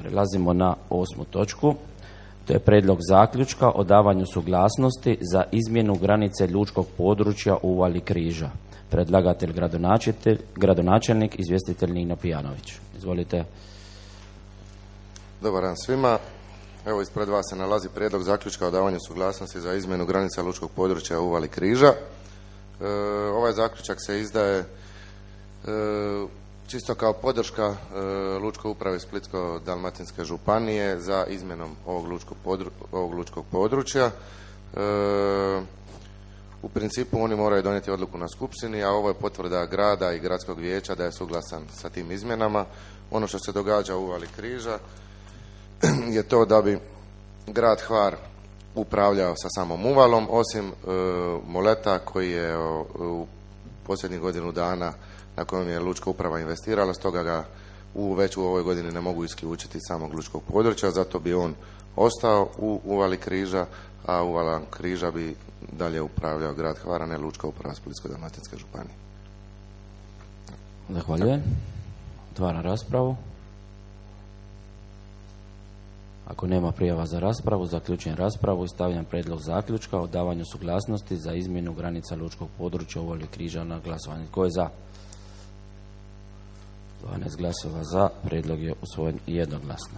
Prelazimo na 8. točku. To je prijedlog zaključka o davanju suglasnosti za izmjenu granice lučkog područja u Uvali Križa. Predlagatelj gradonačelnik, izvjestitelj Nino Pijanović. Izvolite. Dobar dan svima. Evo, ispred vas se nalazi prijedlog zaključka o davanju suglasnosti za izmjenu granica lučkog područja u Uvali Križa. Ovaj zaključak se izdaje čisto kao podrška Lučkoj upravi Splitsko-dalmatinske županije za izmjenom ovog lučkog područja. U principu oni moraju donijeti odluku na skupštini, a ovo je potvrda grada i gradskog vijeća da je suglasan sa tim izmjenama. Ono što se događa u Uvali Križa je to da bi grad Hvar upravljao sa samom uvalom, osim moleta koji je u posljednjih godinu dana na kojem je lučka uprava investirala, stoga ga već u ovoj godini ne mogu isključiti samog lučkog područja, zato bi on ostao u Uvali Križa, a Uvala Križa bi dalje upravljao grad Hvar, a ne lučka uprava Splitsko-dalmatinske županije. Zahvaljujem. Otvaram raspravu. Ako nema prijava za raspravu, zaključujem raspravu i stavljam prijedlog zaključka o davanju suglasnosti za izmjenu granica lučkog područja u Uvali Križa na glasovanje. Tko je za? 12 glasova za. Prijedlog je usvojen jednoglasno.